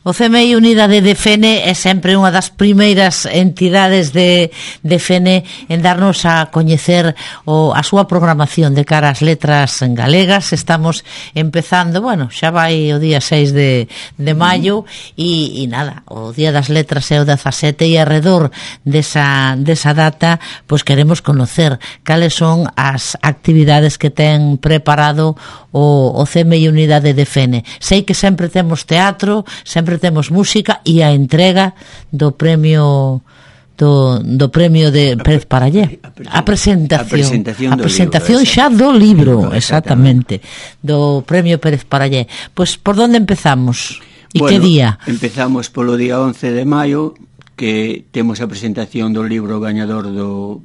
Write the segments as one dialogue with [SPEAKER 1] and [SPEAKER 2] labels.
[SPEAKER 1] O CMI Unidade de Fene é sempre unha das primeiras entidades de Fene en darnos a coñecer a súa programación de cara ás letras galegas. Estamos empezando, bueno, xa vai o día 6 de maio e nada, o Día das Letras é o 17 e alrededor desa data, pois queremos conocer cales son as actividades que ten preparado o CMI Unidade de Fene. Sei que sempre temos teatro, sempre temos música e a entrega do premio de Pérez Parallé, a presentación xa do libro, exactamente, do premio Pérez Parallé. Pois por onde empezamos? E que día?
[SPEAKER 2] Empezamos polo día 11 de maio, que temos a presentación do libro gañador do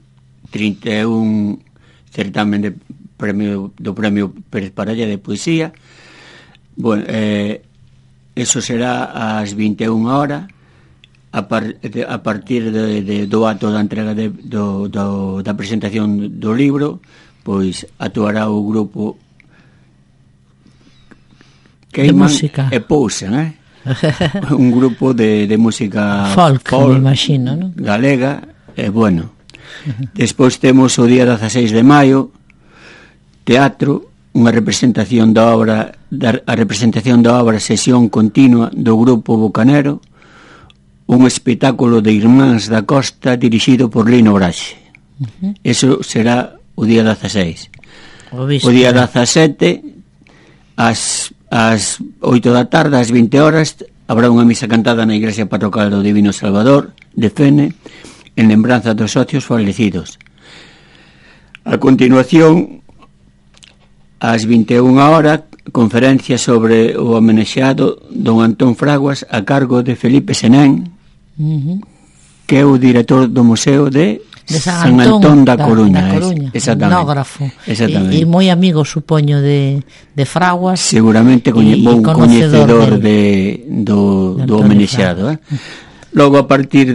[SPEAKER 2] 31 certamen do premio Pérez Parallé de poesía. Bueno, eso será ás 21 horas a partir do acto da entrega da presentación do libro. Pois actuará o grupo Queiman e Pousen, un grupo de música
[SPEAKER 1] folk, me imagino, ¿no?
[SPEAKER 2] Galega, bueno. Despois temos o día 16 de maio, teatro, unha representación da obra, sesión continua do grupo Bocanero, un espectáculo de Irmáns da Costa dirixido por Lino Braxe. Eso será o día 16. O día 17, ás 8 da tarde, ás 20 horas, habrá unha misa cantada na Igrexa Parroquial do Divino Salvador de Fene, en lembranza dos socios falecidos. A continuación, ás 21 horas, conferencia sobre o homenaxeado don Antón Fraguas a cargo de Felipe Senén, que é o director do Museo de San Antón da Coruña.
[SPEAKER 1] Etnógrafo. E moi amigo, supoño, de Fraguas.
[SPEAKER 2] Seguramente bon coñecedor do homenaxeado. Logo, a partir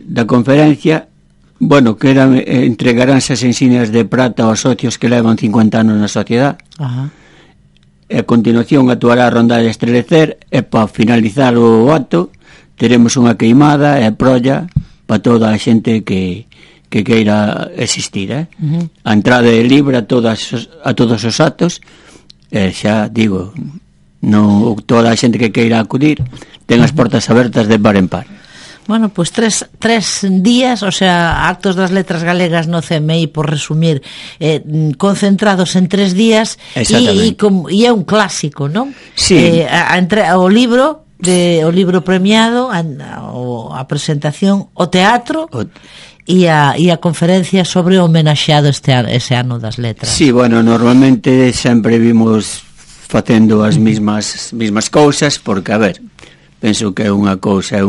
[SPEAKER 2] da conferencia, bueno, que entregaránse as insignias de prata aos socios que levan 50 anos na sociedade. E a continuación actuará a rondalla Estrelecer, e para finalizar o acto teremos unha queimada e prolla para toda a xente que queira existir. A entrada é libre a todos os actos, e xa digo, toda a xente que queira acudir ten as portas abertas de par en par.
[SPEAKER 1] Bueno, pois tres días, o sea, actos das letras galegas no CMI, por resumir, concentrados en 3 días, e é un clásico, non?
[SPEAKER 2] Sí.
[SPEAKER 1] O libro premiado, a presentación, o teatro e a conferencia sobre o homenaxeado ese ano das letras.
[SPEAKER 2] Sí, bueno, normalmente sempre vimos facendo as mismas cousas, porque, a ver, penso que é unha cousa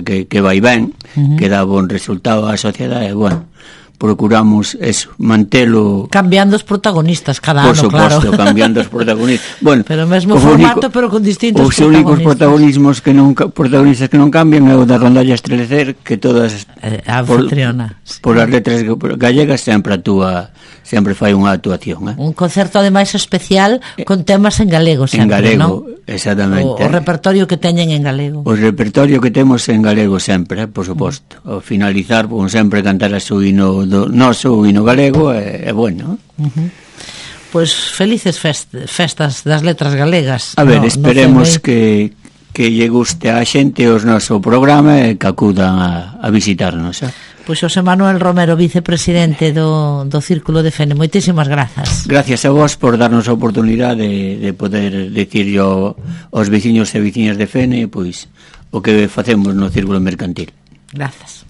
[SPEAKER 2] que vai ben, que dá bon resultado á sociedade, e, bueno, procuramos eso, mantelo...
[SPEAKER 1] Cambiando os protagonistas cada ano, claro.
[SPEAKER 2] Por suposto, cambiando os protagonistas. Bueno,
[SPEAKER 1] pero mesmo formato, pero con distintos
[SPEAKER 2] protagonistas. Os únicos protagonistas que non cambian é o da rondalla Estrelecer, que todas
[SPEAKER 1] anfitriona
[SPEAKER 2] por as letras gallegas sempre fai unha actuación.
[SPEAKER 1] Un concerto, ademais, especial con temas en galego sempre,
[SPEAKER 2] en galego,
[SPEAKER 1] non?
[SPEAKER 2] Exactamente.
[SPEAKER 1] O repertorio que teñen en galego.
[SPEAKER 2] O repertorio que temos en galego sempre, por suposto. Ao finalizar, como sempre, cantar o hino do noso, o hino galego, é bueno.
[SPEAKER 1] Pois felices festas das letras galegas.
[SPEAKER 2] A ver, esperemos que lle guste a xente o noso programa e que acudan a visitarnos.
[SPEAKER 1] Pois Xosé Manuel Romero, vicepresidente do Círculo de Fene, moitísimas grazas.
[SPEAKER 2] Gracias a vos por darnos a oportunidade de poder dicir aos veciños e veciñas de Fene, pois, o que facemos no Círculo Mercantil.
[SPEAKER 1] Grazas.